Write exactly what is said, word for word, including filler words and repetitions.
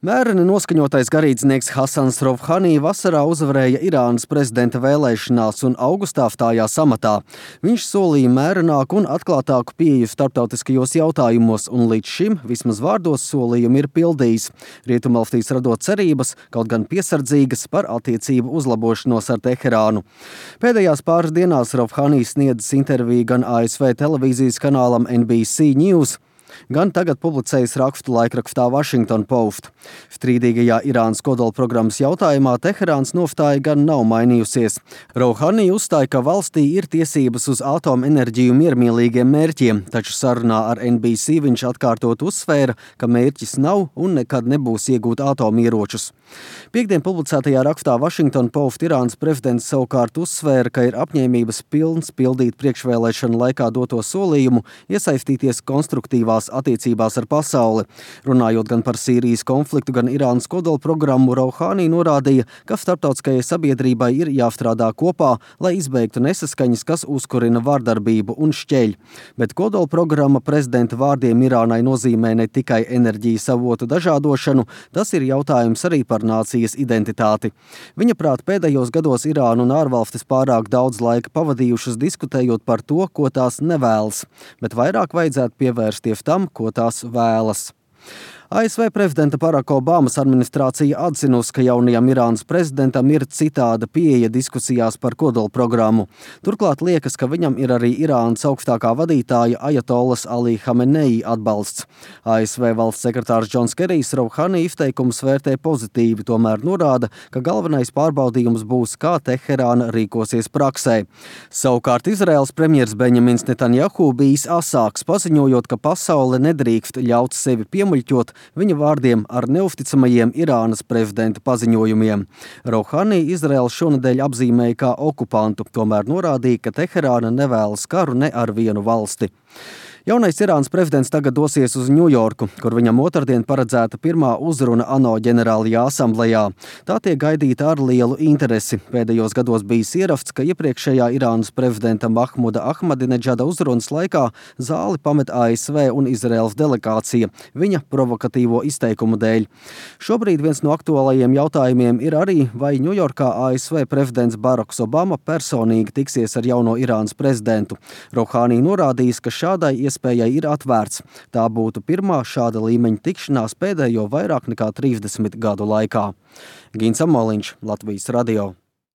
Mēreni noskaņotais garīdznieks Hasans Rouhani vasarā uzvarēja Irānas prezidenta vēlēšanās un augustā stājās amatā. Viņš solīja mērenāku un atklātāku pieeju starptautiskajos jautājumos un līdz šim vismaz vārdos solījumu ir pildījis. Rietumvalstīs radot cerības, kaut gan piesardzīgas par attiecību uzlabošanos ar Teherānu. Pēdējās pāris dienās Rouhani sniedzis interviju gan A S V televīzijas kanālam N B C News, gan tagad publicējis rakstu laikrakstā Washington Post. Strīdīgajā Irānas kodolprogrammas jautājumā Teherāns nostāja gan nav mainījusies. Rouhani uzstāja, ka valstī ir tiesības uz atomenerģiju miermīlīgiem mērķiem, taču sarunā ar N B C viņš atkārtot uzsvēra, ka mērķis nav un nekad nebūs iegūt atomieročus. Piektdien publicētajā rakstā Washington Post Irānas prezidents savukārt uzsvēra, ka ir apņēmības pilns pildīt priekšvēlēšanu laikā doto solījumu, iesaistīties konstruktīvās attiecībās ar pasauli. Runājot gan par Sīrijas konfliktu, gan Irānas kodolprogrammu, Rouhani norādīja, ka starptautiskajai sabiedrībai ir jāstrādā kopā, lai izbeigtu nesaskaņas, kas uzkurina vardarbību un šķeļ. Bet kodolprogramma prezidenta vārdiem Irānai nozīmē ne tikai enerģijas avotu dažādošanu, tas ir jautājums arī par nācijas identitāti. Viņa prāt, pēdējos gados Irāna un ārvalstis pārāk daudz laika pavadījušas diskutējot par to, ko tās nevēlas, bet vairāk vajadzētu pievērsties tam, ko tās vēlas. A S V prezidenta Baraka Obamas administrācija atzinusi, ka jaunajam Irānas prezidentam ir citāda pieeja diskusijās par kodolprogrammu. Turklāt liekas, ka viņam ir arī Irānas augstākā vadītāja Ajatolas Ali Hamenei atbalsts. A S V valsts sekretārs Džons Kerijs Rouhani izteikumus vērtē pozitīvi, tomēr norāda, ka galvenais pārbaudījums būs, kā Teherāna rīkosies praksē. Savukārt Izraēlas premjers Benjamins Netanjahu bijis asāks, paziņojot, ka pasaule nedrīkst ļaut sevi piemuļķot viņa vārdiem ar neusticamajiem Irānas prezidenta paziņojumiem. Rouhani Izraēlu šonedēļ apzīmēja kā okupantu, tomēr norādīja, ka Teherāna nevēlas karu ne ar vienu valsti. Jaunais Irānas prezidents tagad dosies uz Ņujorku, kur viņam otrdien paredzēta pirmā uzruna ANO ģenerālajā asamblejā. Tā tiek gaidīta ar lielu interesi. Pēdējos gados bijis ieraksts, ka iepriekšējā Irānas prezidenta Mahmuda Ahmadineģada uzrunas laikā zāli pamet A S V un Izraēlas delegācija viņa provokatīvo izteikumu dēļ. Šobrīd viens no aktuālajiem jautājumiem ir arī, vai Ņujorkā A S V prezidents Baraks Obama personīgi tiksies ar jauno Irānas prezidentu. Rouhani norādījis, ka šādai iespējai ir atvērts. Tā būtu pirmā šāda līmeņa tikšanās pēdējo vairāk nekā trīsdesmit gadu laikā. Gins Amoliņš, Latvijas radio.